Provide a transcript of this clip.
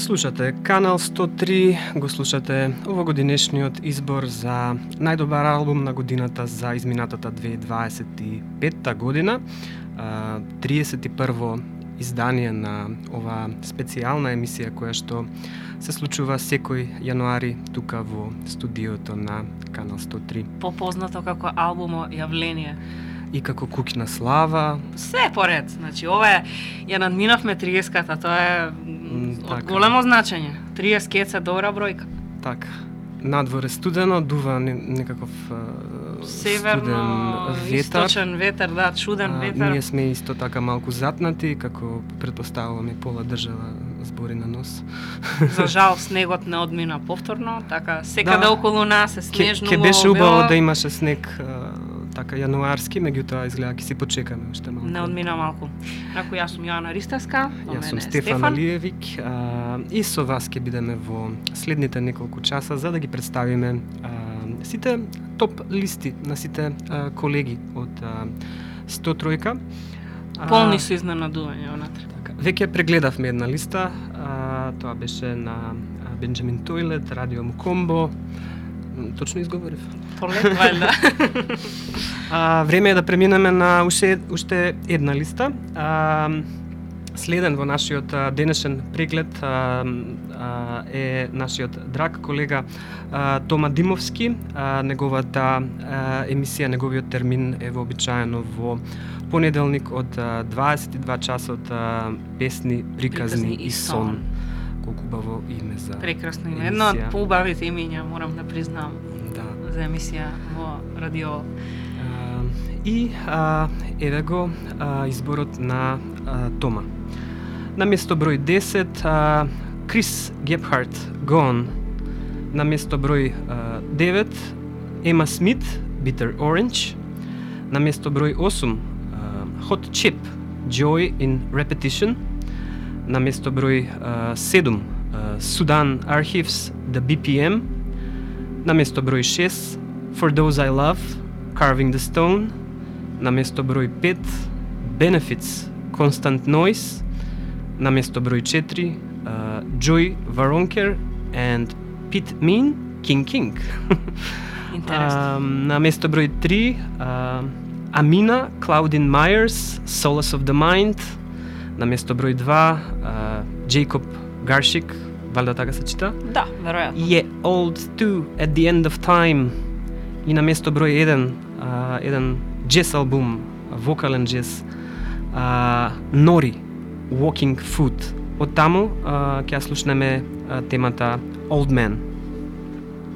Слушате Канал 103, го слушате овогодинешниот избор за најдобар албум на годината за изминатата 2025 година. 31-во издание на ова специјална емисија која што се случува секој јануари тука во студиото на Канал 103. Попознато како албумо Јавление. И како Куќна слава. Се поред, значи ова ја надминавме 30-ката, тоа е од големо значење. 30 кеца добра бројка. Така. Надвор е студено, дува некаков северно студен ветар. Источен ветер, да, чуден ветер. Ние сме исто така малку затнати, како претпоставуваме пола држава збори на нос. За жал снегот не одмина повторно, така секаде околу нас е снежно. Ке беше убаво да имаше снег така јануарски, меѓутоа изгледа ќе си почекаме уште малку. Не одмина малку. Рако јас сум Јоана Ристевска, јас сум Стефан Алиевик и со вас ќе бидеме во следните неколку часа за да ги представиме сите топ листи на сите колеги од 103-ка. Полни со изненадување онатре. Така, веќе прегледавме една листа, тоа беше на Бенџамин Тойлет, Радио Мукомбо. Точно изговорив. Полет, вајда. Време е да преминеме на уште една листа. Следен во нашиот денешен преглед е нашиот драг колега Тома Димовски. Неговата емисија, неговиот термин е вообичаено во понеделник од 22 часот песни, приказни и сон. Колку убаво име за прекрасно име. Едно од поубавите имиња, морам да признам. Да. За емисија во радио. И еве го изборот на Тома. На место број 10 Крис Гепхард, Gone. На место број 9 Ема Смит, Bitter Orange. На место број 8 Hot Chip, Joy in Repetition. На место број 7 Sudan Archives, The BPM. На место број 6 For Those I Love, Carving the Stone. На место број 5 Benefits, Constant Noise. На место број 4 Joy Waronker and Pete Mean, King. На место број 3 Amina, Claudine Myers, Solace of the Mind. На место број 2 Jacob Garshik, валјда така се чита? Да, веројатно. Yeah, Old 2 At the End of Time. И на место број 1 еден джез албум, вокален джез, Nori, Walking Foot. Од таму ќе слушнеме темата Old Man.